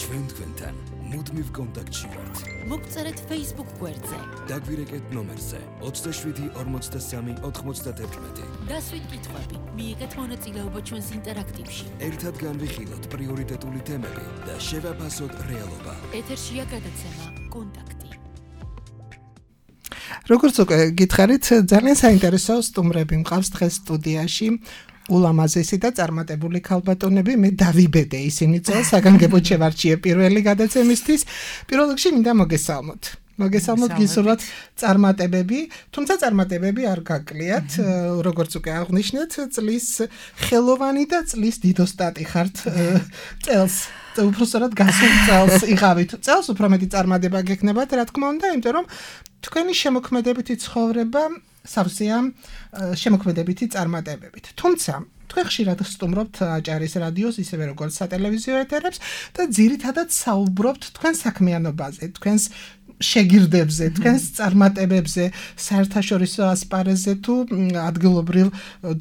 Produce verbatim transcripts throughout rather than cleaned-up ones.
ჩვენ თქვენთან მუდმივ კონტაქტში ვართ. მოგწერეთ Facebook გვერდზე. დაგვირეკეთ ნომერზე ოცდაშვიდი ორმოცდასამი ოთხმოცდათერთმეტი. დასვით კითხვები, მიიღეთ მონაწილეობა ჩვენს ინტერაქტივში. ერთად განვიხილოთ პრიორიტეტული თემები და შევაფასოთ რეალობა. ეთერშია გადაცემა კონტაქტი. როგორც უკვე გითხარით, ძალიან საინტერესო სტუმრები მყავს დღეს სტუდიაში. ულამაზესი და წარმატებული ქალბატონები, მე დავიბედე ისინი წელს საგანგებოდ შევარჩიე პირველი გადაცემისთვის. პირველ რიგში მინდა მოგესალმოთ. მოგესალმოთ გისურვოთ წარმატებები, თუმცა წარმატებები არ გაკლიათ, როგორც უკვე აღნიშნეთ, წლის ხელოვანი და წლის დიდოსტატი ხართ წელს. უბრალოდ გასულ წელს იღავით. წელს უფრო მეტი წარმატება გექნებათ, რა თქმა უნდა, იმიტომ რომ თქვენი შემოქმედებითი ცხოვრება სავსეა შემოქმედებითი წარმატებებით. თუმცა თქვენ ხშირად სტუმრობთ აჭარის რადიოს, ისევე როგორც სატელევიზიო ეთერებს და ძირითადად საუბრობთ თქვენ საქმიანობაზე, თქვენს შეგირდებზე, თქვენს წარმატებებზე, საერთაშორისო ასპარეზზე თუ ადგილობრივ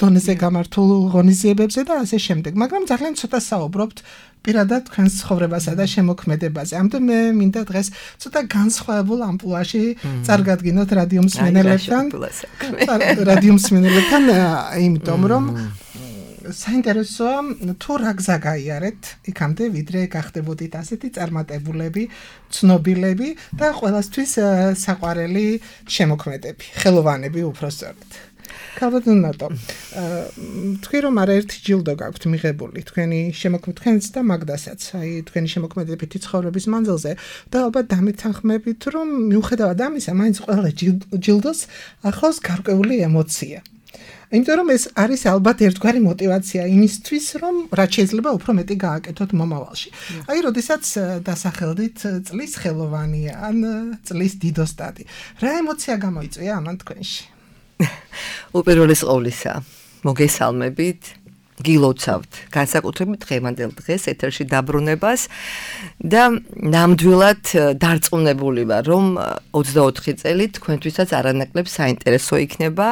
დონეზე გამართულ ღონისძიებებზე და ასე შემდეგ. მაგრამ ძალიან ცოტა საუბრობთ პირადად თქვენს ცხოვრებასა და შემოქმედებაზე. ამიტომ მე მინდა დღეს ცოტა განსხვავებულ ამპლუაში წარგადგინოთ რადიო მსმენელებთან. რადიო მსმენელებთან, იმიტომ რომ საინტერესოა თუ რა გზა გაიარეთ იქამდე, ვიდრე გახდებოდით ასეთი წარმატებულები, ცნობილები და ყველასთვის საყვარელი შემოქმედები, ხელოვანები უпроსწორად. ქალბატონ ნატო, თქვი რომ არაერთი ჯილდო გაქვთ მიღებული თქვენი შემოქმედებითი თქვენც და მაგდასაც, აი თქვენი შემოქმედებითი ცხოვრების მანძილზე და ალბათ დამეთანხმებით რომ მიუხედავად ამისა, მაინც ყველა ჯილდოს ახლავს გარკვეული ემოცია. იმიტომ რომ ეს არის ალბათ ერთგვარი мотиваცია იმისთვის, რომ რაც შეიძლება უფრო მეტი გააკეთოთ მომავალში. აი, როდესაც დასახელდით წლის ხელოვანი ან წლის დიდოსტატი, რა ემოცია გამოიწვია ამან თქვენში? უპირველეს ყოვლისა, მოგესალმებით, გილოცავთ განსაკუთრებით დღევანდელ დღეს ეთერში დაბრუნებას და ნამდვილად დარწმუნებული ვარ, რომ ოცდაოთხი წელი თქვენთვისაც არანაკლებ საინტერესო იქნება,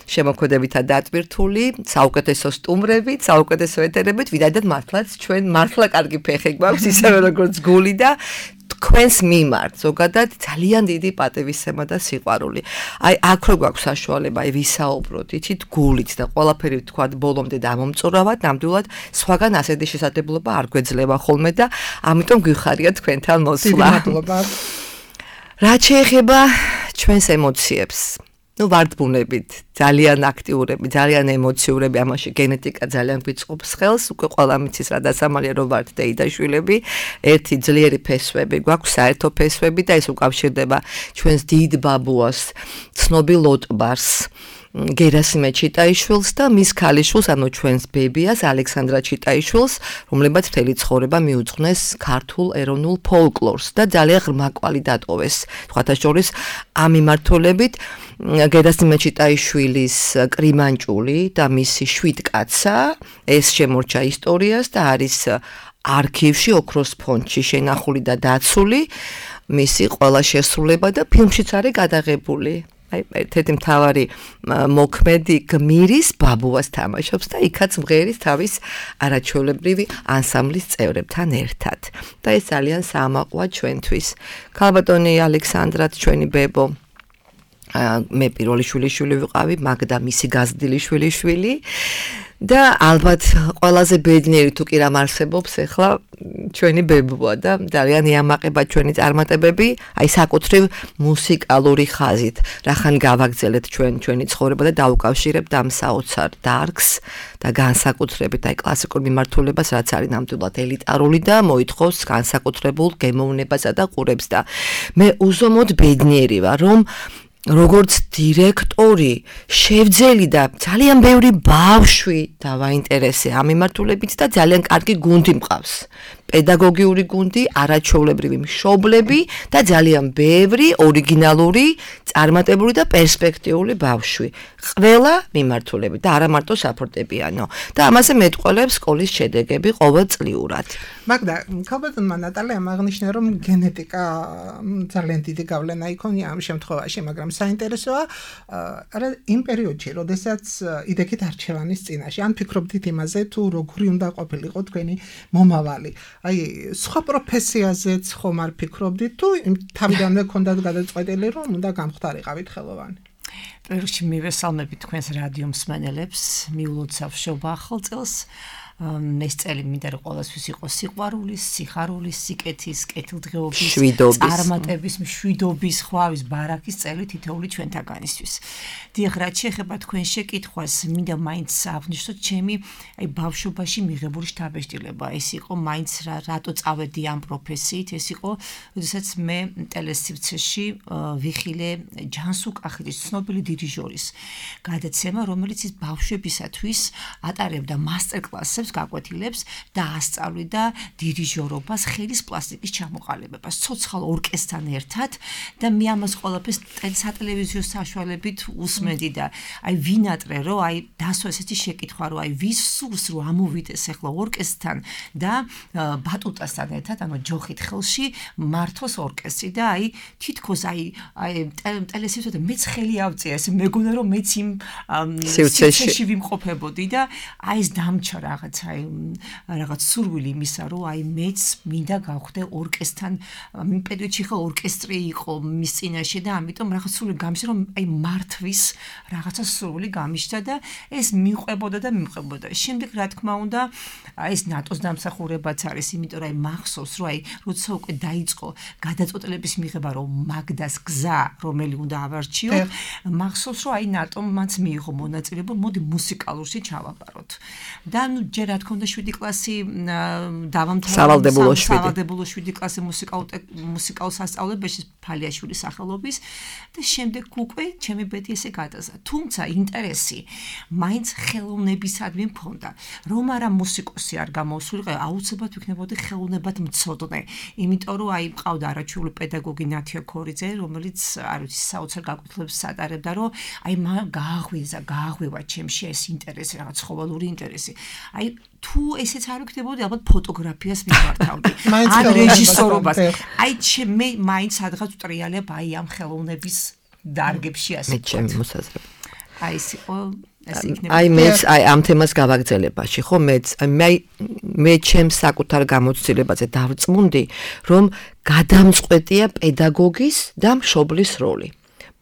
შემოქმედებითა დატვირთული, საუკეთესო სტუმრებით, საუკეთესო ეთერებით, ვიდრე მართლაც ჩვენ მართლა კარგი ფეხი გვაქვს, ისევე როგორც გული და თქვენს მიმართ ზოგადად ძალიან დიდი პატივისცემა და სიყვარული. აი აქ რო გვაქვს საშუალება აი ვისაუბროთ, იცით, გულით და ყველაფერი თქვათ ბოლომდე დამომწურავად, ნამდვილად სხვაგან ასეთი შესაძლებლობა არ გვეძლება ხოლმე და ამიტომ გვიხარია თქვენთან მოსვლა. რაც შეეხება ჩვენს ემოციებს, ну ვარდბუნებით, ძალიან აქტიურები, ძალიან ემოციურები, ამაში გენეტიკა ძალიან გვიწყობს ხელს, უკვე ყველა მიცის რა დასამალია რომ ვართ დეიდაშვილები, ერთი ძლიერი ფესვები გვაქვს, საერთო ფესვები და ეს უკავშირდება ჩვენს დიდ ბაბუას, ცნობილ ოტბარს, გერასიმე ჩიტაიშვილს და მის ქალიშვილს, ანუ ჩვენს ბებიას, ალექსანდრა ჩიტაიშვილს, რომლებაც მთელი ცხოვრება მიუძღვნეს ქართულ ეროვნულ ფოლკლორს და ძალიან ღრმა კვალი დატოვეს. სხვათა შორის ამ მიმართულებით გერასიმე ჩიტაიშვილის კრიმანჭული და მისი შვიდ კაცა, ეს შემორჩა ისტორიას და არის არქივში, ოქროს ფონდში შენახული და დაცული, მისი ყველა შესრულება და ფილმშიც არის გადაღებული. აი, ერთ-ერთი მთავარი მოქმედი გმირის ბაბუას თამაშობს და იქაც მღერის თავის არაჩვეულებრივი ანსამბლის წევრებთან ერთად. და ეს ძალიან საამაყოა ჩვენთვის. ქალბატონი ალექსანდრაც ჩვენი ბებო, მე პირველი შვილიშვილი ვიყავი, მაგდა მისი გაზრდილი შვილიშვილი და ალბათ ყველაზე ბედნიერი თუ კი რამ არსებობს ახლა ჩვენი ბებოა და ძალიან იამაყება ჩვენი წარმატებები, აი საკუთრივ მუსიკალური ხაზით. რახან გავაგრძელეთ ჩვენ ჩვენი ცხოვრება და დაუკავშირებთ ამ საოცარ დარგს და განსაკუთრებით აი კლასიკურ მიმართულებას, რაც არის ნამდვილად ელიტარული და მოითხოვს განსაკუთრებულ გემოვნებასა და ყურებს და მე უზომოდ ბედნიერი ვარ, რომ როგორც დირექტორი შევძელი და ძალიან ბევრი ბავშვი დავაინტერესე ამ მიმართულებით და ძალიან კარგი გუნდი მყავს. პედაგოგიური გუნდი, არაჩვეულებრივი მშობლები და ძალიან ბევრი ორიგინალური, წარმატებული და პერსპექტიული ბავშვი. ყველა მიმართულებით და არა მარტო საფორტეპიანო. და ამაზე მეტყველებს სკოლის შედეგები ყოველწლიურად. მაგდა, ქალბატონმა ნატალიამ აღნიშნა, რომ გენეტიკა ძალიან დიდი გავლენა იქონია ამ შემთხვევაში, მაგრამ საინტერესოა არა იმ პერიოდში, როდესაც იდექით არჩევანის წინაშე, ან ფიქრობდით იმაზე, თუ როგორი უნდა ყოფილიყო თქვენი მომავალი. აი, სხვა პროფესიაზეც ხომ არ ფიქრობდით, თუ თავიდანვე გქონდათ გადაწყვეტილი, რომ უნდა გამხდარიყავით ხელოვანი? პირველში მივესალმებით თქვენს რადიო მსმენელებს, მიულოცავ შობა ახალ წელს. ეს წელი მინდა რომ ყოველთვის იყოს სიყვარულის, სიხარულის, სიკეთის, კეთილდღეობის, წარმატების, მშვიდობის, ხვავის, ბარაქის წელი თითოეული ჩვენთაგანისთვის. დიახ, რაც შეეხება თქვენ შეკითხვას, მინდა მაინც აღნიშნოთ ჩემი აი ბავშვობაში მიღებული შთაბეჭდილება. ეს იყო მაინც რატო წავედი ამ პროფესიით, ეს იყო, როდესაც მე ტელესივრცეში ვიხილე ჯანსუк ახილის ცნობილი დირიჟორის გადაცემა, რომელიც ის ბავშვებისათვის ატარებდა მასტერ-კლასებს გაკვეთილებს და ასწავლიდა დირიჟორობას, ხელის პლასტიკის ჩამოყალიბებას, ცოცხალ ორკესტრთან ერთად და მე ამას ყველაფერს სატელევიზიო საშუალებით უსმენდი და აი ვინატრე რომ აი დასვა ესეთი შეკითხვა რომ აი ვის სურს რომ ამოვიდეს ახლა ორკესტრთან და ბატუტასთან ერთად ანუ ჯოხით ხელში მართოს ორკესტრი და აი თითქოს აი აი ტელესივრცეში მეც ხელი ავწია ეს მეგონა რომ მეც იმ სივრცეში ვიმყოფებოდი და აი ეს დამჩა რაღაც აი რაღაც სურვილი იმისა რომ აი მეც მინდა გავხდე ორკესტრთან იმ პერიოდში ხო ორკესტრი იყო მის წინაშე და ამიტომ რაღაც სურვილი გამიშა რომ აი მართვის რაღაცა სურვილი გამიშთა და ეს მიყვებოდა და მიყვებოდა შემდეგ რა თქმა უნდა აი ეს ნატოს დამსახურებაც არის იმიტომ რომ აი მახსოვს რომ აი როცა უკვე დაიწყო გადაწყვეტილების მიღება რომ მაგდას გზა რომელი უნდა ავარჩიო მახსოვს რომ აი ნატომ მანც მიიღო მონაწილეობა მოდი მუსიკალურში ჩავაბაროთ და ნუ ჯერ რა თქმა უნდა შვიდი კლასი დავამთავრე სავალდებულო შვიდი კლასი მუსიკალურ მუსიკალურ სასწავლებელში ფალიაშვილის სახელობის და შემდეგ უკვე ჩემი ბედი ესე გადაზა თუმცა ინტერესი მაინც ხელოვნებისადმი მქონდა რომ არა მუსიკოსი არ გამოსულიყო აუცილებლად ვიქნებოდი ხელოვნებად მცოდნე იმიტომ რომ აი მყავდა არაჩვეული პედაგოგი ნათია ქორიძე რომელიც არ ვიცი საოცარ გაკვეთილებს ატარებდა რომ აი მაგ გააღვიძა გააღვივა ჩემში ეს ინტერესი რაღაც ცხოველური ინტერესი აი თუ ესეც არ ვიქნებოდი ალბათ ფოტოგრაფიას მიმართავდი ან რეჟისორობას აი მე მაინც სადღაც ვტრიალებ აი ამ ხელოვნების დარგებში ასე მე ჩემი მოსაზრება აი ეს იყო აი მეც აი ამ თემას გავაგრძელებაში ხო მეც მე მე ჩემს საკუთარ გამოცდილებაზე დავწმუნდი რომ გადამწყვეტია პედაგოგის და მშობლის როლი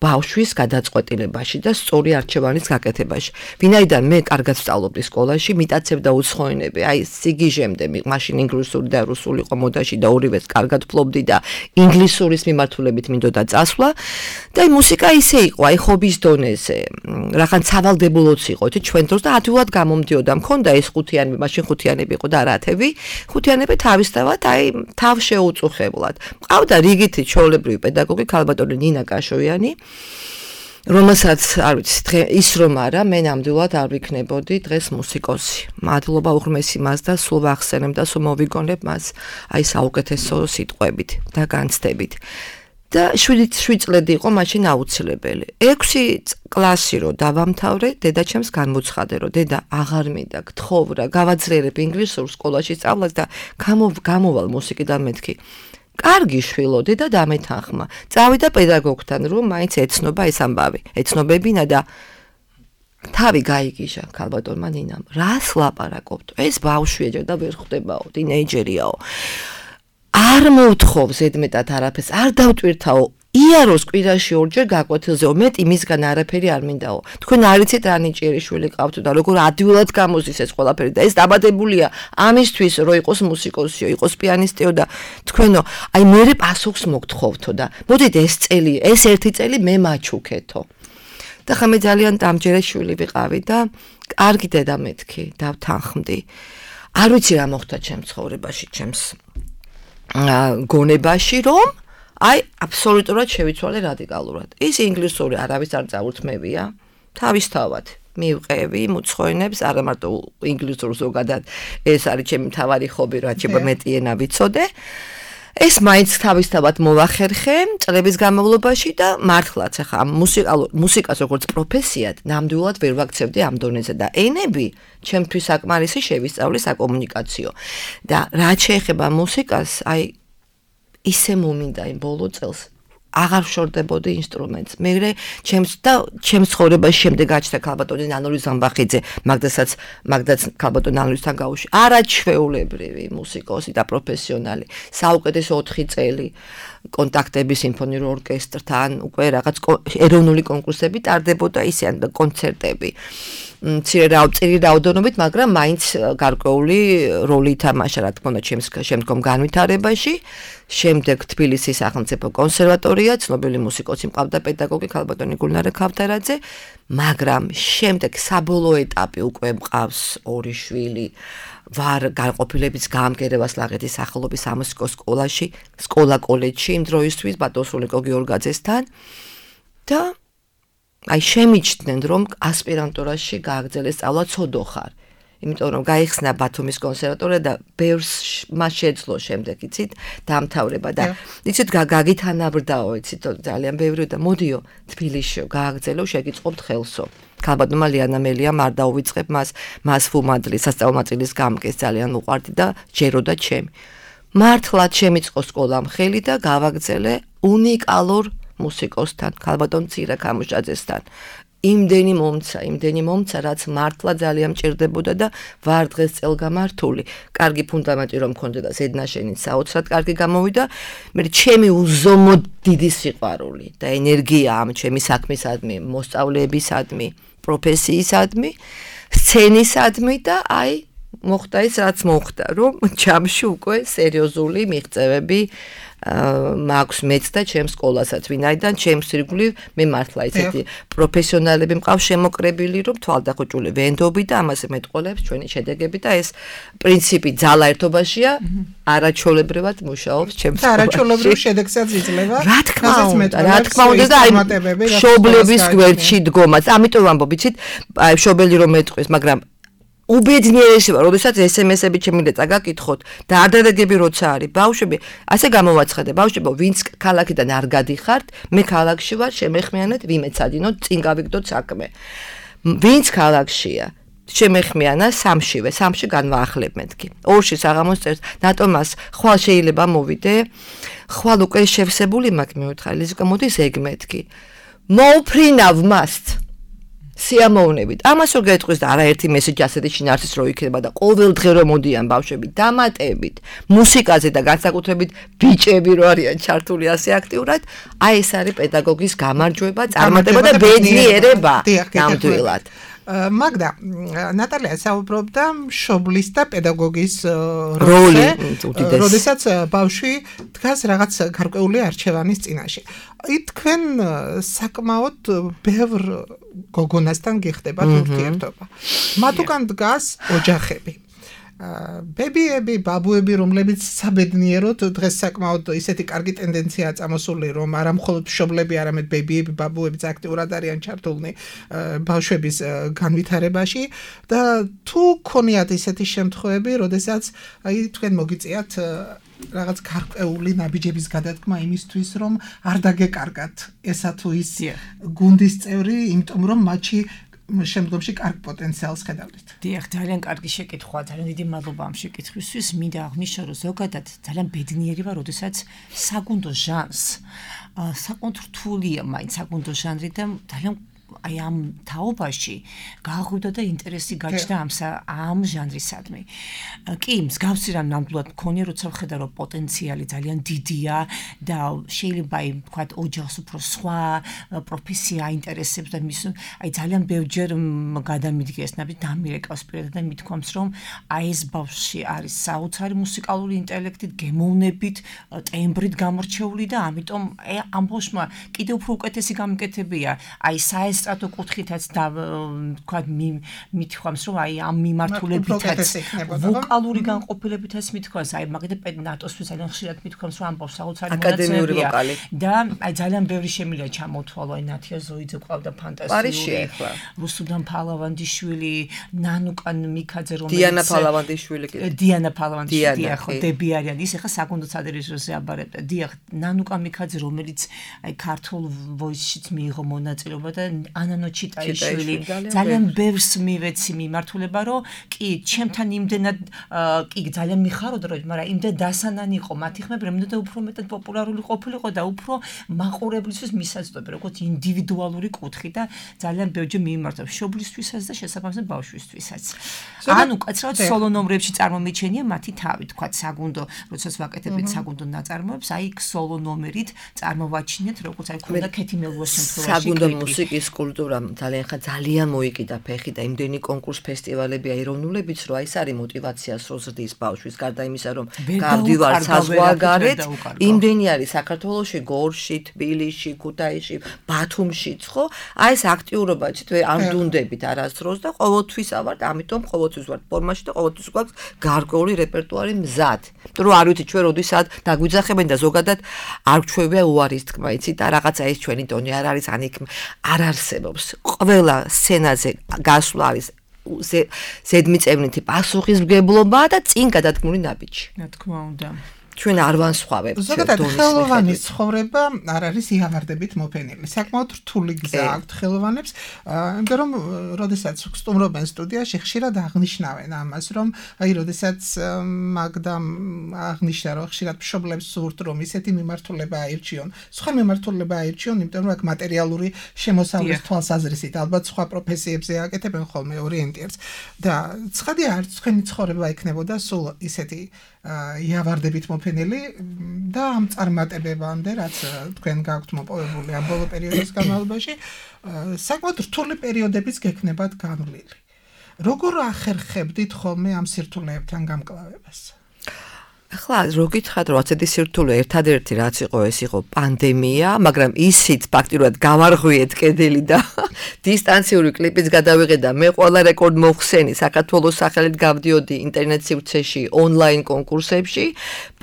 ბავშვის გადაწყვეტილებაში და სწორი არჩევანის გაკეთებაში. ვინაიდან მე კარგად ვსწავლობდი სკოლაში, მიტაცებდა უცხოენები, აი სიგიჟემდე, მაშინ ინგლისური და რუსული იყო მოდაში და ორივეს კარგად ვფლობდი და ინგლისურის მიმართულებით მინდოდა წასვლა და აი მუსიკა ისე იყო, აი ხობის დონეზე, რაღაც სავალდებულოც იყო, თი ჩვენ დროს და ადვილად გამომდიოდა. მქონდა ეს ხუთიანები, მაშინ ხუთიანები იყო და არათები, ხუთიანები თავისთავად აი თავ შეუწუხებლად. მყავდა რიგითი ჩვეულებრივი პედაგოგი ქალბატონი ნინა კაშოიანი რომელსაც არ ვიცი ის რომ არა მე ნამდვილად არ ვიქნებოდი დღეს მუსიკოსი. მადლობა უღრმესი მას და სულ ვახსენებ და სულ მოვიგონებ მას აი საუკეთესო სიტყვებით და განცდებით. და შვიდი წლები იყო მაშინ აუცილებელი. ექვსი კლასი რო დავამთავრე, დედაჩემს განმოცხადე რომ დედა აღარ მინდა გთხოვრა, გავაძლიერებ ინგლისურ სკოლაში სწავლას და გამოვალ მუსიკიდან მეთქი. კარგი შვილო დედა დამეთანხმა. წავიდა პედაგოგთან რომ მაინც ეცნობა ეს ამბავი. ეცნობებინა და თავი გაიგიჟა ქალბატონმა ნინამ. რას ლაპარაკობთ? ეს ბავშვია და ვერ ხვდებაო, ტინეიჯერიაო. არ მოვთხოვ ზედმეტად არაფერს, არ დავტვირთაო. იაროს კვირაში ორჯერ გაკვეთილზეო, მეტი მისგან არაფერი არ მინდაო. თქვენ არ იცით რა ნიჭიერი შვილი ყავთ და როგორ ადვილად გამოზის ეს ყველაფერი და ეს დაბადებულია ამისთვის რომ იყოს მუსიკოსიო, იყოს პიანისტიო და თქვენო, აი მე პასუხს მოგთხოვთო და მოდით ეს წელი, ეს ერთი წელი მე მაჩუქეთო. და ხა მე ძალიან დამჯერე შვილი ვიყავი და კარგი დედა მეთქი, დავთანხმდი. არ ვიცი რა მოხდა ჩემს ცხოვრებაში, ჩემს გონებაში რომ აი აბსოლუტურად შევიცვალე რადიკალურად. ის ინგლისური არავის არ წაურთმევია. თავისთავად მივყევი მუცხოენებს, არა მარტო ინგლისურს ზოგადად ეს არის ჩემი მთავარი ხობი, რაც შეიძლება მეტი ენა ვიცოდე. ეს მაინც თავისთავად მოვახერხე წლების განმავლობაში და მართლაც ახლა მუსიკალურ მუსიკას როგორც პროფესიად ნამდვილად ვერ ვაქცევდი ამ დონეზე და ენები ჩემთვის საკმარისი შევისწავლე საკომუნიკაციო. და რაც შეეხება მუსიკას, აი ისე მომინდა იმ ბოლო წელს აღარ შორდებოდი ინსტრუმენტს. მერე ჩემს და ჩემს ცხოვრებაში შემდეგ გაჩნდა ქალბატონი ნანური ზამბახიძე, მაგდასაც მაგდაც ქალბატონი ნანურისთან გავუშვი. არაჩვეულებრივი მუსიკოსი და პროფესიონალი. საუკეთესო ოთხი წელი კონტაქტები სიმფონიურ ორკესტრთან, უკვე რაღაც ეროვნული კონკურსები ტარდებოდა ისე და კონცერტები. მცირე რაოდენობით, რაოდენობით, მაგრამ მაინც გარკვეული როლი ითამაშა, რა თქმა უნდა, ჩემს შემდგომ განვითარებაში. შემდეგ თბილისის სახელმწიფო კონსერვატორია, ცნობილი მუსიკოსი მყავდა პედაგოგი ქალბატონი გულნარე ქავთარაძე, მაგრამ შემდეგ საბოლოო ეტაპი უკვე მყავს ორი შვილი. ვარ განყოფილების გამგერებას ლაღეთის სახელობის სამუსიკო სკოლაში, სკოლა კოლეჯში იმ დროისთვის ბატონსულიკო გიორგაძესთან და აი შემიჩნდნენ რომ ასპირანტურაში გააგრძელეს სწავლა ცოდო ხარ. იმიტომ რომ გაიხსნა ბათუმის კონსერვატორია და ბევრს მას შეძლო შემდეგ იცით დამთავრება და იცით გაგითანაბრდაო იცით ძალიან ბევრი და მოდიო თბილისშიო გააგრძელო შეგიწყობთ ხელსო. ქალბატონმა ლიანა მელიამ არ დაუვიწყებ მას მას ფუმადლი სასწავლო ნაწილის გამგეს ძალიან უყვარდი და ჯეროდა ჩემი. მართლაც შემიწყო სკოლამ ხელი და გავაგრძელე უნიკალურ მუსიკოსთან, ქალბატონ ცირა ქამუშაძესთან. იმდენი მომცა, იმდენი მომცა, რაც მართლა ძალიან მჭირდებოდა და ვარ დღეს წელგამართული. კარგი ფუნდამენტი რომ მქონდა და ზედნაშენით საოცრად კარგი გამოვიდა. მე ჩემი უზომოდ დიდი სიყვარული და ენერგია ამ ჩემი საქმისადმი, მოსწავლეებისადმი, პროფესიისადმი, სცენისადმი და აი მოხდა ის რაც მოხდა, რომ ჯამში უკვე სერიოზული მიღწევები მაქვს მეც და ჩემს სკოლასაც, ვინაიდან ჩემს ირგვლივ მე მართლა ისეთი პროფესიონალები მყავს შემოკრებილი, რომ თვალდახოჭული ვენდობი და ამაზე მეტყოლებს ჩვენი შედეგები და ეს პრინციპი ძალა ერთობაშია, არაჩვეულებრივად მუშაობს ჩემს სკოლაში. არაჩვეულებრივ შედეგსაც იძლევა. რა თქმა უნდა, რა თქმა უნდა და აი მშობლების გვერდში დგომაც. ამიტომ ვამბობ, იცით, აი მშობელი რომ მეტყვის, მაგრამ უბედნიერესი ვარ, როდესაც ესემესები ჩემილეცა გაკითხოთ და არ დადაგები როცა არის. ბავშვები, ასე გამოვაცხადე, ბავშვებო, ვინც ქალაქიდან არ გადიხართ, მე ქალაქში ვარ, შემეხმიანეთ, ვიმეცადინოთ, წინ გავიგდოთ საქმე. ვინც ქალაქშია, შემეხმიანა სამშივე, სამში განვაახლებმეთ კი. ორში საღამოს წერს, ნატომას ხვალ შეიძლება მოვიდე, ხვალ უკვე შევსებული მაქვს მეუთხარი, ლიზიკა მოდის ეგ მეთქი. მოუფრინავ მასთ. სიამოვნებით. ამას რო გეტყვის და არაერთი მესეჯი ასეთი შინაარსის რო იქნება და ყოველ დღე რო მოდიან ბავშვები დამატებით მუსიკაზე და განსაკუთრებით ბიჭები რო არიან ჩართული ასე აქტიურად, აი ეს არის პედაგოგის გამარჯვება, წარმატება და ბედნიერება ნამდვილად. მაგდა, ნატალია საუბრობდა მშობლის და პედაგოგის როლზე, როდესაც ბავშვი დგას რაღაც გარკვეული არჩევანის წინაშე. თქვენ საკმაოდ ბევრ გოგონასთან გიხდებათ ურთიერთობა. მათ უკან დგას ოჯახები. ბებიები, ბაბუები, რომლებიც საბედნიეროდ დღეს საკმაოდ ისეთი კარგი ტენდენციაა წამოსული, რომ არა მხოლოდ მშობლები, არამედ ბებიები, ბაბუებიც აქტიურად არიან ჩართულნი ბავშვების განვითარებაში და თუ გქონიათ ისეთი შემთხვევები, როდესაც აი თქვენ მოგიწიათ რაღაც გარკვეული ნაბიჯების გადადგმა იმისთვის, რომ არ დაგეკარგათ ესა თუ ის გუნდის წევრი, იმიტომ რომ მათში შემდგომში კარგ პოტენციალს ხედავთ. დიახ, ძალიან კარგი შეკითხვა, ძალიან დიდი მადლობა ამ შეკითხვისთვის. მინდა აღნიშნო, რომ ზოგადად ძალიან ბედნიერი ვარ, როდესაც საგუნდო ჟანრს საკმაოდ რთულია მაინც საგუნდო ჟანრი და ძალიან აი ამ თაობაში გააღვივდა და ინტერესი გაჩნდა ამ ამ ჟანრისადმი. კი, მსგავსი რამ ნამდვილად მქონია, როცა ვხედა, რომ პოტენციალი ძალიან დიდია და შეიძლება აი ვთქვათ ოჯახს უფრო სხვა პროფესია აინტერესებს და მის აი ძალიან ბევრჯერ გადამიდგეს ნაბი დამირეკავს პირადად და მithქვამს, რომ აი ეს ბავშვი არის საოცარი მუსიკალური ინტელექტით, გემოვნებით, ტემბრით გამორჩეული და ამიტომ აი ამ ბავშვმა კიდევ უფრო უკეთესი გამიკეთებია. აი საეს სტრატო კუთხითაც და ვთქვათ მithქვამს, რომ აი ამ მიმართულებითაც ვოკალური განყოფილებითაც მithქვას, აი მაგალითად ნატოსთვის ძალიან ხშირად მithქვამს, რომ ამ ბავშვს საოცარი მონაცემია და აი ძალიან ბევრი შემიძლია ჩამოთვალო, აი ნათია ზოიძე ყავდა ფანტასტიკური, რუსუდან ფალავანდიშვილი, ნანუკან მიქაძე, რომელიც დიანა ფალავანდიშვილი კი დიანა ფალავანდიშვილი, ხო, დები არიან, ის ახლა საკუნდო სადირიჟორზე აბარებდა. დიახ, ნანუკან მიქაძე, რომელიც აი ქართულ ვოისშიც მიიღო მონაწილეობა და ანანო ჩიტაიშვილი ძალიან ბევრს მივეცი მიმართულება რომ კი ჩემთან იმდენად კი ძალიან მიხაროდა რომ მაგრამ იმდენ დასანანი იყო მათი ხმები რომ და უფრო მეტად პოპულარული ყოფილიყო და უფრო მაყურებლისთვის მისაწვდომი როგორც ინდივიდუალური კუთხი და ძალიან ბევრჯერ მიმართავ მშობლისთვისაც და შესაბამისად ბავშვისთვისაც ანუ კაცრავად სოლო ნომრებში წარმომიჩენია მათი თავი თქვა საგუნდო როდესაც ვაკეთებთ საგუნდო ნაწარმოებს აი სოლო ნომერით წარმოვაჩინეთ როგორც აი ქონდა ქეთი მელუას შემთხვევაში საგუნდო მუსიკის კულტურამ ძალიან ხა ძალიან მოიკიდა ფეხი და იმდენი კონკურს ფესტივალები აიროვნულებიც რომ აი ეს არის мотиваციას რო ზრდის ბავშვის გარდა იმისა რომ გავდივარ საზღვარგარეთ იმდენი არის საქართველოში გორში თბილისში ქუთაისში ბათუმშიც ხო აი ეს აქტიურობა თვე არ დუნდებით არასდროს და ყოველთვის ავართ ამიტომ ყოველთვის ვართ ფორმაში და ყოველთვის გვაქვს გარკვეული რეპერტუარი მზად იმიტომ რომ არ ვიცი ჩვენ როდესაც დაგვიძახებენ და ზოგადად არ გვჩვევია უარის თქმა იცით და რაღაცა ეს ჩვენი ტონი არ არის ან იქ არ არსებობს ყველა სცენაზე გასვლა არის ზედმიწევნითი პასუხისმგებლობა და წინ გადადგმული ნაბიჯი რა თქმა უნდა ჩვენ არ ვანსხვავებთ ზოგადად ხელოვანის ცხოვრება არ არის იავარდებით მოფენილი საკმაოდ რთული გზა აქვთ ხელოვანებს იმიტომ რომ როდესაც სტუმრობენ სტუდიაში ხშირად აღნიშნავენ ამას რომ აი როდესაც მაგდამ აღნიშნა რომ ხშირად მშობლებს სურთ რომ ისეთი მიმართულება აირჩიონ სხვა მიმართულება აირჩიონ იმიტომ რომ აქ მატერიალური შემოსავლის თვალსაზრისით ალბათ სხვა პროფესიებზე აკეთებენ ხოლმე ორიენტირს და ცხადია არც თქვენი ცხოვრება იქნებოდა სულ ისეთი იავარდებით მოფენილი და ამ წარმატებებამდე რაც თქვენ გაქვთ მოპოვებული ამ ბოლო პერიოდის განმავლობაში საკმაოდ რთული პერიოდებიც გექნებათ განვლილი. როგორ ახერხებდით ხოლმე ამ სირთულეებთან გამკლავებას? ახლა რო გითხრათ რომ ასეთი სირთულე ერთადერთი რაც იყო ეს იყო პანდემია, მაგრამ ისიც ფაქტიურად გავარღვიეთ კედელი და დისტანციური კლიპიც გადავიღე და მე ყველა რეკორდ მოხსენი საქართველოს სახელით გავდიოდი ინტერნეტ სივრცეში ონლაინ კონკურსებში.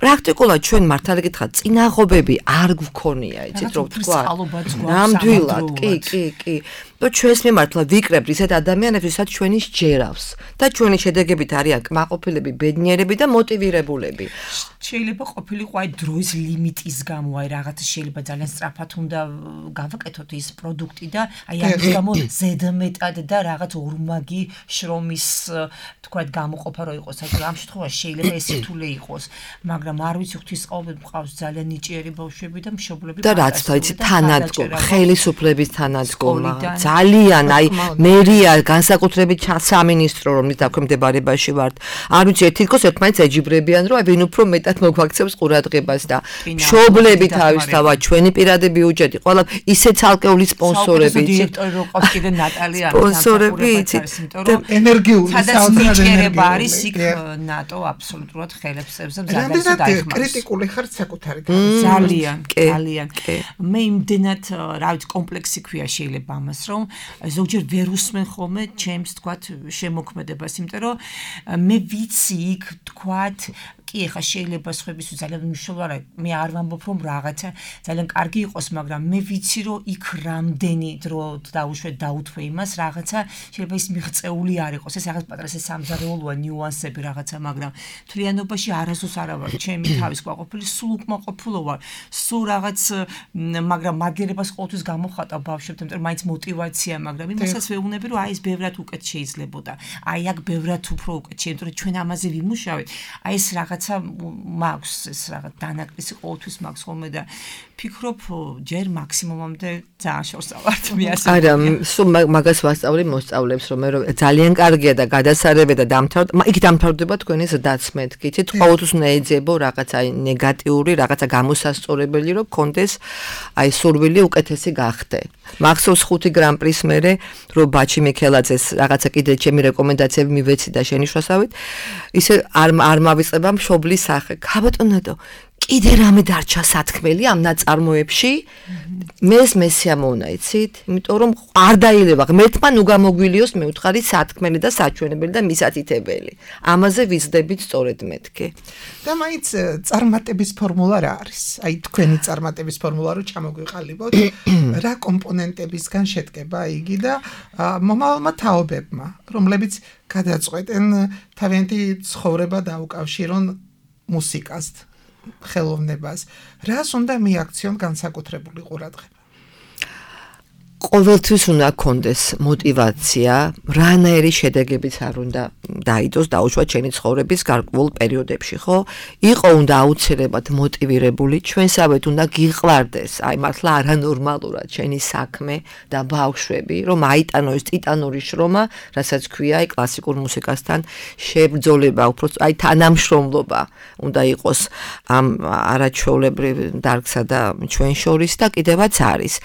პრაქტიკულად ჩვენ მართალი გითხრათ წინაღობები არ გვქონია, იცით რომ თქვა. ნამდვილად, კი, კი, კი. და ჩვენს მიმართლა ვიკრებთ ისეთ ადამიანებს, ვისაც ჩვენი სჯერავს და ჩვენი შედეგებით არიან კმაყოფილები, ბედნიერები და მოტივირებულები. შეიძლება ყოფილიყო აი დროის ლიმიტის გამო, აი რაღაცა შეიძლება ძალიან სწრაფად უნდა გავაკეთოთ ის პროდუქტი და აი ამის გამო ზედმეტად და რაღაც ორმაგი შრომის თქვა გამოყოფა რო იყოს, აი ამ შემთხვევაში შეიძლება ეს სირთულე იყოს, მაგრამ არ ვიცი ღვთისმოყვებით მყავს ძალიან ნიჭიერი ბავშვები და მშობლები და რაც თაიცი თანადგომა, ხელისუფლების თანადგომა ძალიან აი მერია განსაკუთრებით სამინისტრო რომლის დაქვემდებარებაში ვართ არ ვიცი თითქოს ერთმანეთს ეჯიბრებიან რომ აი ვინ უფრო მეტად მოგვაქცევს ყურადღებას და მშობლები თავისთავად ჩვენი პირადი ბიუჯეტი ყველა ისე ცალკეული სპონსორები დირექტორი რო ყავს კიდე ნატალია სპონსორები იცით ენერგიული საერთაშორისო არის იქ ნატო აბსოლუტურად ხელებს წევს და მზადებს დაიხმაროს კრიტიკული ხართ საკუთარი ძალიან ძალიან მე იმდენად რა ვიცი კომპლექსი ქვია შეიძლება ამას რომ ზოგჯერ ვერ უსმენ ხოლმე ჩემს თქვათ შემოქმედებას, იმიტომ რომ მე ვიცი იქ თქვათ კი ეხა შეიძლება სხვებისთვის ძალიან მნიშვნელოვანი მე არ ვამბობ რომ რაღაცა ძალიან კარგი იყოს, მაგრამ მე ვიცი რომ იქ რამდენი დრო დაუშვეთ დაუთვე იმას რაღაცა შეიძლება ის მიღწეული არ იყოს, ეს რაღაც პატრას ეს სამზარეულოა ნიუანსები რაღაცა, მაგრამ თლიანობაში არასდროს არა ვარ ჩემი თავის ყვაყოფილი, სულ უკმაყოფილო ვარ, სულ რაღაც მაგრამ მაგერებას ყოველთვის გამოხატავ ბავშვებთან, იმიტომ რომ მაინც мотиваცია, მაგრამ იმასაც ვეუბნები რომ აი ეს ბევრად უკეთ შეიძლებოდა. აი აქ ბევრად უფრო უკეთ შეიძლება, იმიტომ რომ ჩვენ ამაზე ვიმუშავეთ. აი ეს რაღაცა მაქვს ეს რაღაც დანაკლისი ყოველთვის მაქვს ხოლმე და ფიქრობ ჯერ მაქსიმუმამდე ძალიან შორსავართ მე ასე. არა, სულ მაგას ვასწავლი მოსწავლებს რომ მე ძალიან კარგია და გადასარევე და დამთავრდა. იქ დამთავრდება თქვენი ზრდაც მეთქით. ყოველთვის უნდა ეძებო რაღაცა ნეგატიური, რაღაცა გამოსასწორებელი რომ კონდეს აი სურვილი უკეთესი გახდე. მახსოვს ხუთი გრან-პრის მერე რომ ბაჩი მიქელაძეს რაღაცა კიდე ჩემი რეკომენდაციები მივეცი და შენიშნავსავით ისე არ არ მავიწყება მშობლის სახე. გაბატონო კიდე რამე დარჩა სათქმელი ამ ნაწარმოებში მეს მესიამოვნა იცით იმიტომ რომ არ დაილევა ღმერთმა ნუ გამოგვილიოს მე ვთხარი სათქმელი და საჩვენებელი და მისათითებელი ამაზე ვიზდებით სწორედ მეთქე და მაინც წარმატების ფორმულა რა არის აი თქვენი წარმატების ფორმულა რო ჩამოგვიყალიბოთ რა კომპონენტებისგან შედგება იგი და მომავალმა თაობებმა რომლებიც გადაწყვეტენ თავიანთი ცხოვრება დაუკავშირონ მუსიკას ხელოვნებას რას უნდა მიაქციონ განსაკუთრებული ყურადღება ყოველთვის უნდა კონდეს мотиваცია, რანაირი შედეგებიც არ უნდა დაიდოს დაუშვათ ჩემი ცხოვრების გარკვეულ პერიოდებში, ხო? იყო უნდა აუცილებლად მოტივირებული, ჩვენსავეთ უნდა გიყვარდეს, აი მართლა არანორმალურად ჩვენი საქმე და ბავშვები, რომ აიტანო ეს ტიტანური შრომა, რასაც ქვია აი კლასიკურ მუსიკასთან შებრძოლება, უფრო აი თანამშრომლობა უნდა იყოს ამ არაჩვეულებრივ დარგსა და ჩვენ შორის და კიდევაც არის.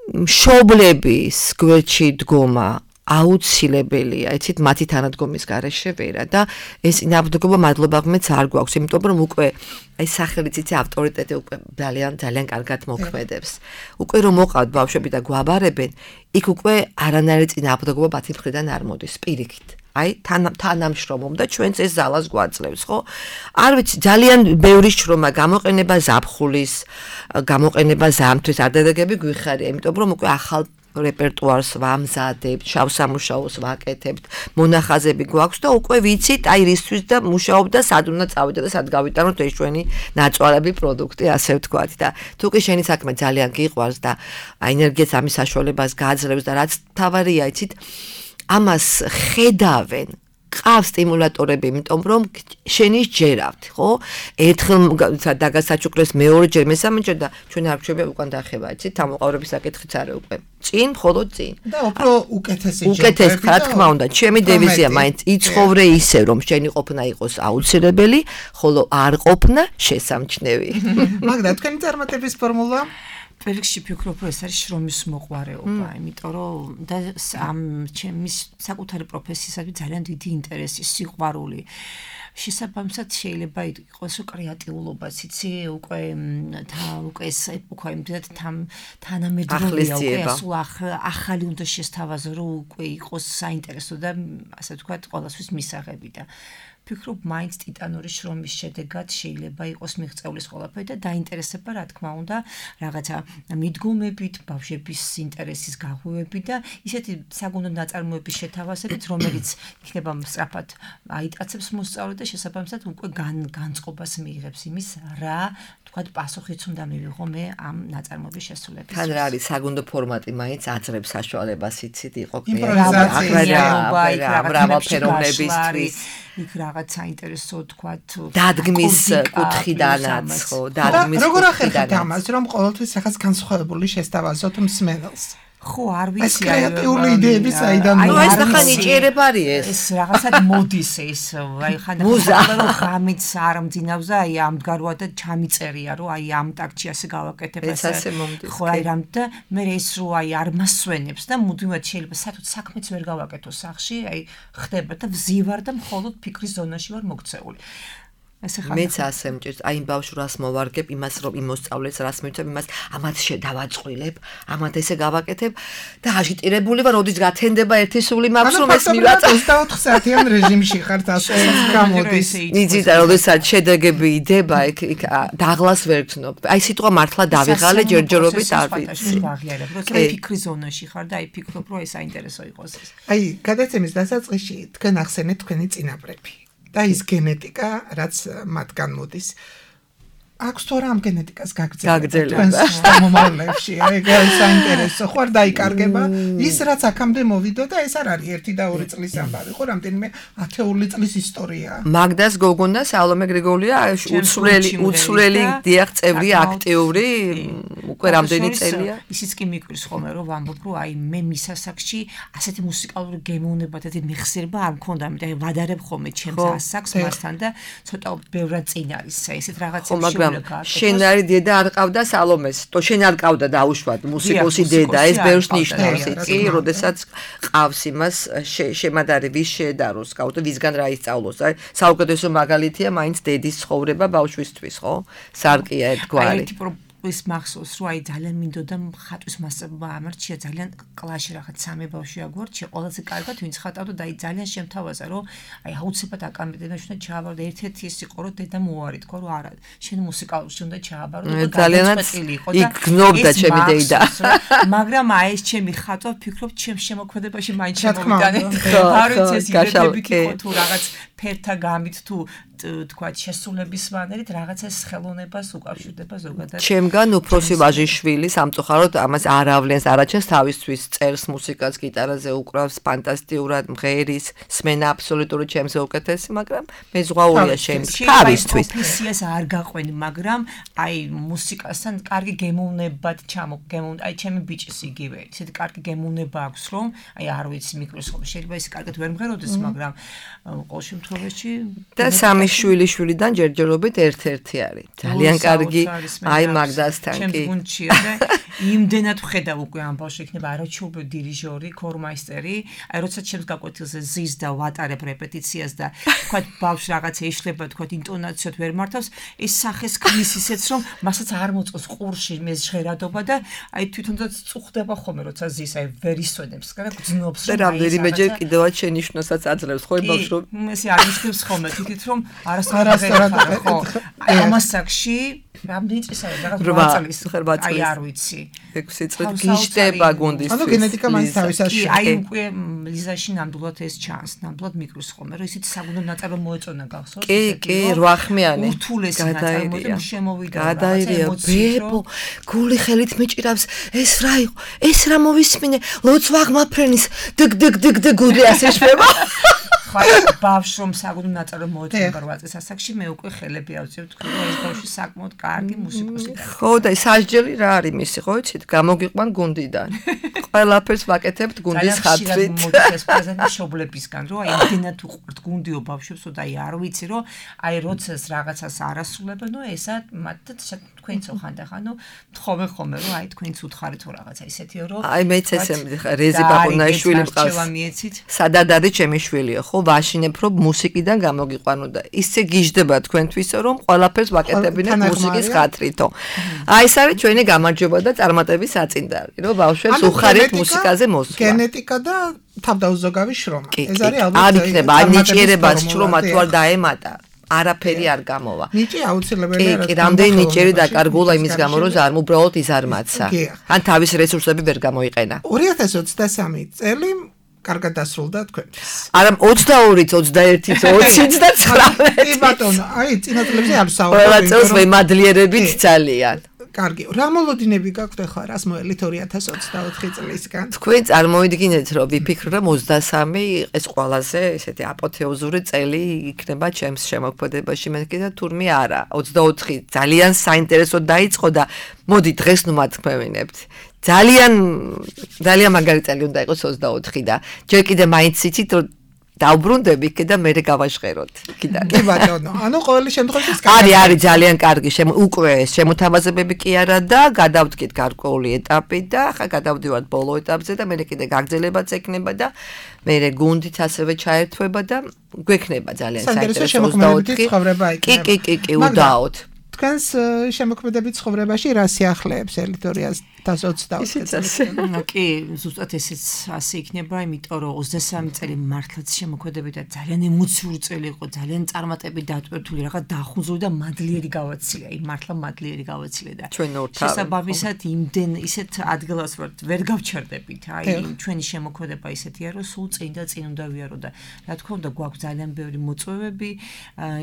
მშობლების გვერდში დგომა აუცილებელია, იცით, მათი თანადგომის გარეშე ვერა და ეს ნაბრძოლობა მადლობა ღმერთს არ გვაქვს, იმიტომ რომ უკვე აი სახელიც იცი ავტორიტეტი უკვე ძალიან ძალიან კარგად მოქმედებს. უკვე რომ მოყავთ ბავშვები და გვაბარებენ, იქ უკვე არანაირი წინააღმდეგობა მათი მხრიდან არ მოდის, პირიქით. აი თანამშრომლობ და ჩვენც ეს ზალას გვაძლევს, ხო? არ ვიცი, ძალიან ბევრი შრომა გამოყენება ზაფხულის, გამოყენება ზამთრის არდადეგები გვიხარია, იმიტომ რომ უკვე ახალ რეპერტუარს ვამზადებთ, შავ სამუშაოს ვაკეთებთ, მონახაზები გვაქვს და უკვე ვიცით, აი რისთვის და მუშაობ და სად უნდა წავიდე და სად გავიტანოთ ეს ჩვენი ნაწვალები პროდუქტი, ასე ვთქვათ და თუ კი შენი საქმე ძალიან გიყვარს და ენერგიას ამის საშუალებას გააძლევს და რაც თავარია, იცით, ამას ხედავენ, ყავს სტიმულატორები, იმიტომ რომ შენი ჯერავთ, ხო? ერთხელ დაგასაჩუქრეს მეორეჯერ, მესამეჯერ და ჩვენ არჩევია უკან დახება, იცით, თამოყარების საკითხიც არის უკვე. წინ, მხოლოდ წინ. და უფრო უკეთესი ჯერები. უკეთესი, რა თქმა უნდა, ჩემი დევიზია მაინც იცხოვრე ისე, რომ შენი ყოფნა იყოს აუცილებელი, ხოლო არ ყოფნა შესამჩნევი. მაგდა, თქვენი წარმატების ფორმულა? Perikshi ფიქრობ, რომ ეს არის შრომის მოყვარეობა, იმიტომ რომ და ამ ჩემის საკუთარი პროფესიისადმი ძალიან დიდი ინტერესი, სიყვარული. შესაბამისად შეიძლება იყოს კრეატიულობაც, იცი, უკვე უკვე ეს ეპოქა იმდენად თანამედროვეა, უკვე სულ ახალი უნდა შესთავაზო, რომ უკვე იყოს საინტერესო და ასე ვთქვათ, ყველასთვის მისაღები და ფიქრობ, მაინც ტიტანური შრომის შედეგად შეიძლება იყოს მიღწევლის ყველაფერი და დაინტერესება, რა თქმა უნდა, რაღაცა მიდგომებით, ბავშვების ინტერესის გაღვივებით და ისეთი საგუნდო ნაწარმოების შეთავაზებით, რომელიც იქნება სწრაფად აიტაცებს მოსწავლე და შესაბამისად უკვე განწყობას მიიღებს იმის, რა თქვათ, პასუხიც უნდა მივიღო მე ამ ნაწარმოების შესრულების. თან რა არის საგუნდო ფორმატი, მაინც აძლევს საშუალებას, იცით, იყო იმპროვიზაცია, მრავალფეროვნებისთვის. იქ რაღაც საინტერესო თქვათ დადგმის კუთხიდანაც, ხო, დადგმის კუთხიდანაც. როგორ ახერხებთ ამას, რომ ყოველთვის ახაც განსხვავებული შესთავაზოთ მსმენელს? ხო, არ ვიცი, ეს კრეატიული იდეები საიდან მოდის? აი, ეს ნახა ნიჭიერება არის ეს. ეს რაღაცად მოდის ეს, აი ხანდახან რომ ღამით არ მძინავს და აი ამდგაროა და ჩამიწერია, რომ აი ამ ტაქტში ასე გავაკეთებ ეს ასე მომდის. ხო, აი რამ და მე ეს რო აი არ მასვენებს და მუდმივად შეიძლება საერთოდ საქმეც ვერ გავაკეთო სახში, აი ხდება და ვზივარ და მხოლოდ ფიქრის ზონაში ვარ მოქცეული. მეც ასე მჭირს, აი იმ ბავშვს რას მოვარგებ, იმას რომ იმოსწავლეს, რას მივცემ, იმას ამათ შედავაწყვილებ, ამათ ესე გავაკეთებ და აგიტირებული ვარ, როდის გათენდება ერთი სული მაქვს რომ ეს მივაწევ. ოცდაოთხ საათიან რეჟიმში ხართ, ასე გამოდის. იცით, როდესაც შედეგები იდება, იქ იქ დაღლას ვერ გრძნობ. აი სიტყვა მართლა დავიღალე ჯერჯერობით არ ვიცი. როცა ფიქრის ზონაში ხარ და აი ფიქრობ, რომ ეს საინტერესო იყოს ეს. აი, გადაცემის დასაწყისში თქვენ ახსენეთ თქვენი წინაპრები. და ის გენეტიკა, რაც მათგან მოდის. აქვს თუ რა ამ გენეტიკას გაგრძელება? თქვენს მომავლებში, აი ეს საინტერესო, ხო არ დაიკარგება? ის რაც აქამდე მოვიდა და ეს არ არის ერთი და ორი წლის ამბავი, ხო, რამდენიმე ათეული წლის ისტორიაა. მაგდას გოგონა სალომე გრიგოლია უცვლელი უცვლელი დიახ წევრი აქტიური უკვე რამდენი წელია. ისიც კი მიკვირს ხოლმე რომ ვამბობ, რომ აი მე მის ასაკში ასეთი მუსიკალური გემოვნება და მეხსიერება არ მქონდა, ამიტომ აი ვადარებ ხოლმე ჩემს ასაკს მასთან და ცოტა ბევრად წინ არის ესეთ რაღაცები. შენ არის დედა არ ყავდა სალომეს, то შენ არ ყავდა დაუშვათ მუსიკოსი დედა, ეს ბევრს ნიშნავს, იცი, როდესაც ყავს იმას შემადარი ვის შეედაროს, ყავდა ვისგან რა ისწავლოს, აი საუკეთესო მაგალითია მაინც დედის ცხოვრება ბავშვისთვის, ხო? სარკია ერთგვარი. ის მახსოვს, რომ აი ძალიან მინდოდა ხატვის მასწავლება ამარჩია, ძალიან კლასში რაღაც სამი ბავშვი აგვარჩია, ყველაზე კარგად ვინც ხატავდა და აი ძალიან შემთავაზა, რომ აი აუცილებლად აკადემიაში უნდა ჩააბარო და ერთ-ერთი ის იყო, რომ დედა მოარი თქვა, რომ არა, შენ მუსიკალურში უნდა ჩააბარო და გადაწყვეტილი იყო და იგნობდა ჩემი დედა. მაგრამ აი ეს ჩემი ხატვა ფიქრობ, ჩემს შემოქმედებაში მაინც შემოვიდანე. არ ვიცი ეს იდეები იყო თუ რაღაც ფერთა გამით თუ თქვა შესრულების მანერით რაღაცას ხელოვნებას უკავშირდება ზოგადად. ჩემგან უფროსი ვაჟიშვილი სამწუხაროდ ამას არ ავლენს, არაჩენს თავისთვის წერს მუსიკას, გიტარაზე უკრავს, ფანტასტიურად მღერის, სმენა აბსოლუტური ჩემზე უკეთესი, მაგრამ მე ზღვაურია ჩემს თავისთვის. პროფესიას არ გაყვენ, მაგრამ აი მუსიკასთან კარგი გემოვნებად ჩამოგემოვნ, აი ჩემი ბიჭის იგივე, ისეთი კარგი გემოვნება აქვს, რომ აი არ ვიცი მიკროსკოპი შეიძლება ის კარგად ვერ მღეროდეს, მაგრამ ყოველ შემთხვევაში და სამი შვილი შვილიდან ჯერჯერობით ერთ-ერთი არის. ძალიან კარგი აი მაგდასთან კი. ჩემს გუნდშია და იმდენად ვხედავ უკვე ამ ბავშვი იქნება არაჩვეულებრივი დირიჟორი, ქორმაისტერი, აი როცა ჩემს გაკვეთილზე ზის და ვატარებ რეპეტიციას და თქვა ბავშვი რაღაცა იშლება, თქვა ინტონაციად ვერ მართავს, ეს სახეს ქმნის ისეც რომ მასაც არ მოწყოს ყურში მე ჟღერადობა და აი თვითონაც წუხდება ხოლმე როცა ზის აი ვერ ისვენებს, რა გძნობს და რამდენიმეჯერ კიდევაც შენიშვნასაც აძლევს ხო ბავშვს რომ ესე აღნიშნებს ხოლმე თითით რომ არასდროს ხო აი ამას საკში რამდენი წელია რაღაც წლის აი არ ვიცი ექვსი წელი გიშტება გუნდისთვის ანუ გენეტიკა მაინც თავისაში აი უკვე ლიზაში ნამდვილად ეს ჩანს ნამდვილად მიკროს ხოლმე რომ ისიც საგუნდო ნაწარმო მოეწონა გახსოვს კი კი რვახმიანი ურთულესი ნაწარმოები შემოვიდა გადაირია ბებო გული ხელით მეჭირავს ეს რა იყო ეს რა მოვისმინე ლოცვა აღმაფრენის დგ დგ დგ დგ გული ასე შვება ბავშვს რომ საგუნდო ნაწარმო მოეწონა რვა წელს ასაკში მე უკვე ხელები ავწევ თქვი რომ ეს ბავშვი საკმაოდ კარგი მუსიკოსი და ხო და სასჯელი რა არის მისი ხო იცით გამოგიყვან გუნდიდან ყველაფერს ვაკეთებთ გუნდის ხათრით მოდის პრეზენტი შობლებისგან რომ აი იმდენად უყვართ გუნდიო ბავშვებს და აი არ ვიცი რომ აი როდესაც რაღაცას არასრულებენ ნუ ესა მათ თქვენც ხანდახანო თხოვე ხოლმე რომ აი თქვენც უთხარით თუ რაღაცა ისეთიო რომ აი მეც ესე რეზი ბაბუნაიშვილი მყავს სადად არის ჩემი შვილია ხო ვაშინებ რომ მუსიკიდან გამოგიყვანო და ისე გიждდება თქვენთვისო რომ ყველაფერს ვაკეთებინეთ მუსიკის ხათრითო აი ეს არის ჩვენი გამარჯვება და წარმატების საწინდარი რომ ბავშვებს უხარით მუსიკაზე მოსვლა გენეტიკა და თავდაუზოგავი შრომა ეს არის ალბათ არ იქნება აი ნიჭიერებას შრომა თუ არ დაემატა არაფერი არ გამოვა. ნიჭი აუცილებელია. კი, კი, რამდენი ნიჭიერი დაკარგულა იმის გამო, რომ ზარ უბრალოდ იზარმაცა. ან თავის რესურსები ვერ გამოიყენა. ორი ათას ოცდასამი წელი კარგად დასრულდა თქვენთვის. არა ოცდაორი, ოცდაერთი, ოცი და ცხრამეტი. კი ბატონო, აი წინა წლებზე არ ვსაუბრობ. ყველა წელს ვემადლიერებით ძალიან. კარგი. რა მოლოდინები გაქვთ ახლა რას მოელით ორი ათას ოცდაოთხი წლისგან? თქვენ წარმოიდგინეთ, რომ ვიფიქრე რომ ოცდასამი ეს ყველაზე ესეთი აპოთეოზური წელი იქნება ჩემს შემოქმედებაში, მე კიდე თურმე არა. ოცდაოთხი ძალიან საინტერესო დაიწყო და მოდი დღეს ნუ მათქმევინებთ. ძალიან ძალიან მაგარი წელი უნდა იყოს ოცდაოთხი და ჯერ კიდე მაინც იცით რომ დაუბრუნდები კიდე მე გავაშღეროთ კიდე. კი ბატონო, ანუ ყოველი შემთხვევაში არის არის ძალიან კარგი უკვე შემოთავაზებები კი არა და გადავდგით გარკვეული ეტაპი და ახლა გადავდივართ ბოლო ეტაპზე და მე კიდე გაგრძელებაც ექნება და მე გუნდით ასევე ჩაერთვება და გვექნება ძალიან საინტერესო ოცდაოთხი ცხოვრება იქნება. კი კი კი კი უდაოდ. თქვენს შემოქმედებით ცხოვრებაში რა სიახლეებს ელიქტორიას ოცდაოთხი წელი. ნუ კი, ზუსტად ესეც ასე იქნება, იმიტომ რომ ოცდასამი წელი მართლაც შემოქმედებით და ძალიან ემოციური წელი იყო, ძალიან წარმატებით დატვირთული, რაღაც დახუნზული და მადლიერი გავაცილე, აი მართლა მადლიერი გავაცილე და შესაბამისად იმდენ ისეთ ადგილას ვართ, ვერ გავჩერდებით. აი ჩვენი შემოქმედება ისეთია, რომ სულ წინ და წინ უნდა ვიარო და რა თქმა უნდა გვაქვს ძალიან ბევრი მოწვევები,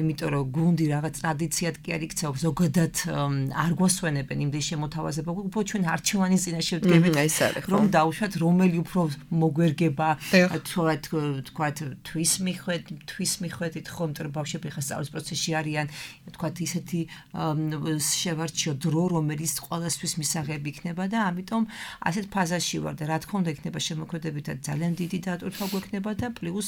იმიტომ რომ გუნდი რაღაც ტრადიციად კი არ იქცეობს, ზოგადად არ გვასვენებენ იმდენ შემოთავაზება, უფრო ჩვენ არჩევ ჩვენი წინაშე ვდგებით რომ დავუშვათ რომელი უფრო მოგვერგება თქვა თვის მიხვედ თვის მიხვედით ხომ თორე ბავშვები ხა სწავლის პროცესში არიან თქვა ისეთი შევარჩიო დრო რომელიც ყოველთვის მისაღები იქნება და ამიტომ ასეთ ფაზაში ვარ და რა თქმა უნდა იქნება შემოქმედებით და ძალიან დიდი დატვირთვა გვექნება და პლუს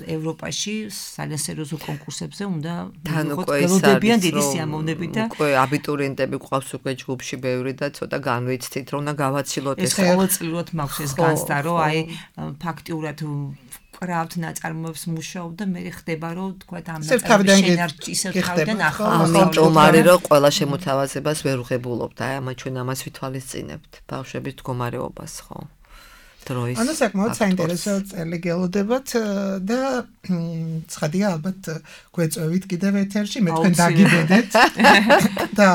ევროპაში ძალიან სერიოზულ კონკურსებზე უნდა გველოდებიან დიდი სიამოვნებით და უკვე აბიტურიენტები გვყავს უკვე ჯგუფში ბევრი და ცოტა განვი ვიცით რომ უნდა გავაცილოთ ეს ყოველწლიურად მაქვს ეს განცდა რომ აი ფაქტიურად კრავთ ნაწარმოებს მუშაობ და მე ხდება რომ თქვა ამ ნაწარმოებში ენერგიის თავიდან ახლა ამიტომ არის რომ ყველა შემოთავაზებას ვერ უღებულობთ აი ამა ჩვენ ამას ვითვალისწინებთ ბავშვების მდგომარეობას ხო დროის ანუ საკმაოდ საინტერესო წელი გელოდებათ და ცხადია ალბათ გვეწევით კიდევ ეთერში მე თქვენ დაგიბედეთ და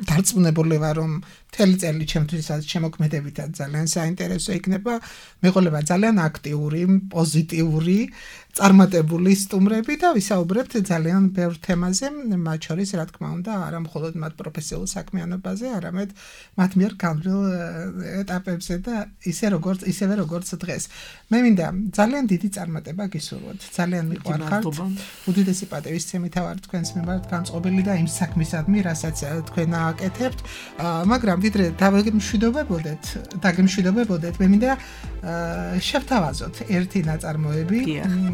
დარწმუნებული ვარ რომ მთელი წელი ჩემთვისაც შემოქმედებითად ძალიან საინტერესო იქნება. მეყოლება ძალიან აქტიური, პოზიტიური, წარმატებული სტუმრები და ვისაუბრებთ ძალიან ბევრ თემაზე, მათ შორის რა თქმა უნდა, არა მხოლოდ მათ პროფესიულ საქმიანობაზე, არამედ მათ მიერ განვლილ ეტაპებზე და ისე როგორც ისევე როგორც დღეს. მე მინდა ძალიან დიდი წარმატება გისურვოთ. ძალიან მიყვარხართ. უდიდესი პატივისცემით ვარ თქვენს მიმართ განწყობილი და იმ საქმისადმი, რასაც თქვენ აკეთებთ, მაგრამ ვიდრე დავემშვიდობებოდეთ, დაგემშვიდობებოდეთ, მე მინდა შევთავაზოთ ერთი ნაწარმოები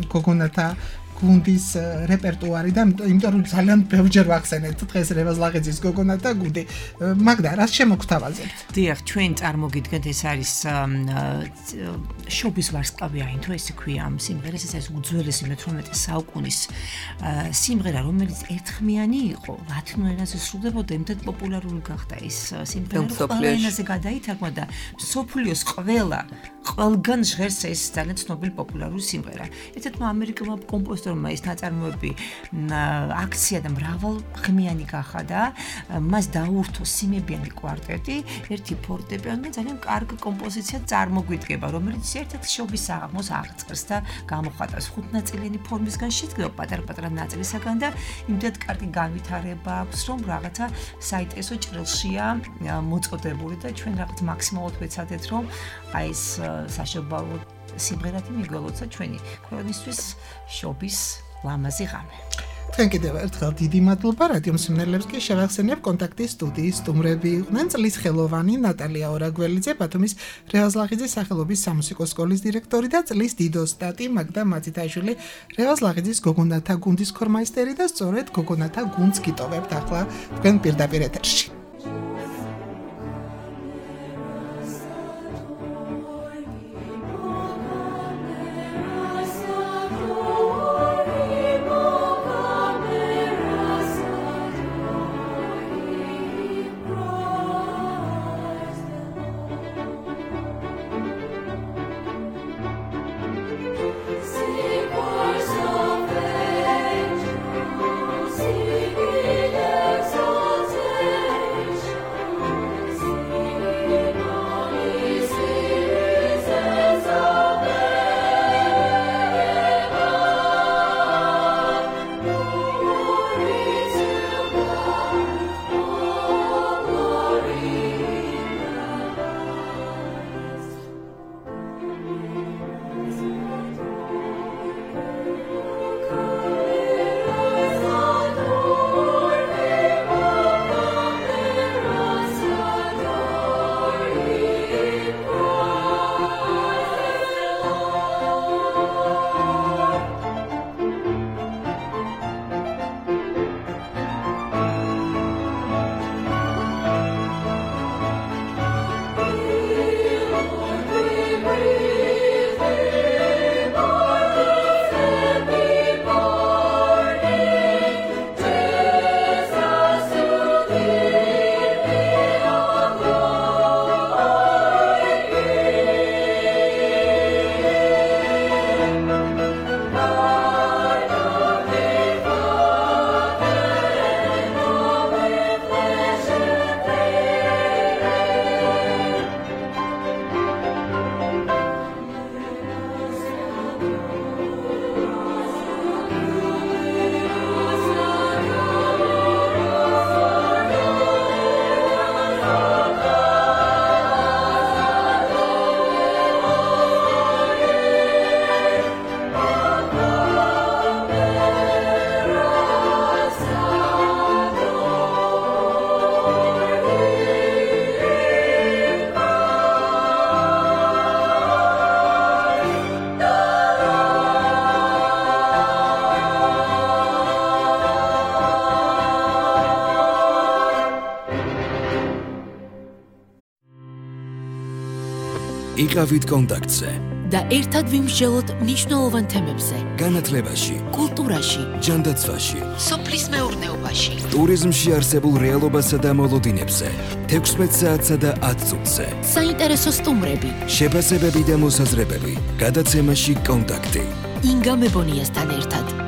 გოგონათა გუნდის რეპერტუარი და იმიტომ რომ ძალიან ბევრჯერ ვახსენეთ დღეს რევაზ ლაღიძის გოგონათა გუნდი. მაგდა რას შემოგთავაზებთ? დიახ, ჩვენ წარმოგიდგენთ ეს არის შობის ვარსკვლავი აინთო ესე ქვია ამ სიმღერას, ეს არის უძველესი მეთორმეტე საუკუნის სიმღერა, რომელიც ერთხმიანი იყო, ლათინურ ენაზე სრულდებოდა, იმდენ პოპულარული გახდა ეს სიმღერა, ყველა ენაზე გადაითარგმნა და მსოფლიოს ყველა ყველგან ჟღერს ეს ძალიან ცნობილი პოპულარული სიმღერა. ერთ-ერთმა ამერიკელმა კომპოზიტორმა ეს ნაწარმოები აქცია და მრავალხმიანი გახადა, მას დაურთო სიმებიანი კვარტეტი, ერთი ფორტეპიანო და ძალიან კარგი კომპოზიცია წარმოგვიდგება, რომელიც ერთ-ერთ შობის საღამოს აღწერს და გამოხატავს ხუთნაწილიანი ფორმისგან შედგება პატარ-პატარა ნაწილისაგან და იმდენად კარგი განვითარება აქვს, რომ რაღაცა საინტერესო ჭრილშია მოწოდებული და ჩვენ რაღაც მაქსიმალურად ვეცადეთ, რომ აი ეს საშობაო სიმღერათი მიგველოთ და ჩვენი ქვეყნისთვის შობის ლამაზი ღამე. თქვენ კიდევ ერთხელ დიდი მადლობა რადიო მსმენელებს კი შევახსენებ კონტაქტის სტუდიის სტუმრები იყვნენ წლის ხელოვანი ნატალია ორაგველიძე, ბათუმის რევაზ ლაღიძის სახელობის სამუსიკო სკოლის დირექტორი და წლის დიდოსტატი მაგდა მაწითაშვილი, რევაზ ლაღიძის გოგონათა გუნდის ქორმაისტერი და სწორედ გოგონათა გუნდს გიტოვებთ ახლა თქვენ პირდაპირ ეთერში. იყავით კონტაქტზე და ერთად ვიმსჯელოთ მნიშვნელოვან თემებზე. განათლებაში, კულტურაში, ჯანდაცვაში, სოფლის მეურნეობაში, ტურიზმში არსებულ რეალობასა და მოლოდინებზე, თექვსმეტ საათსა და ათ წუთზე. საინტერესო სტუმრები, შეფასებები და მოსაზრებები, გადაცემაში კონტაქტი. ინგა მებონიასთან ერთად.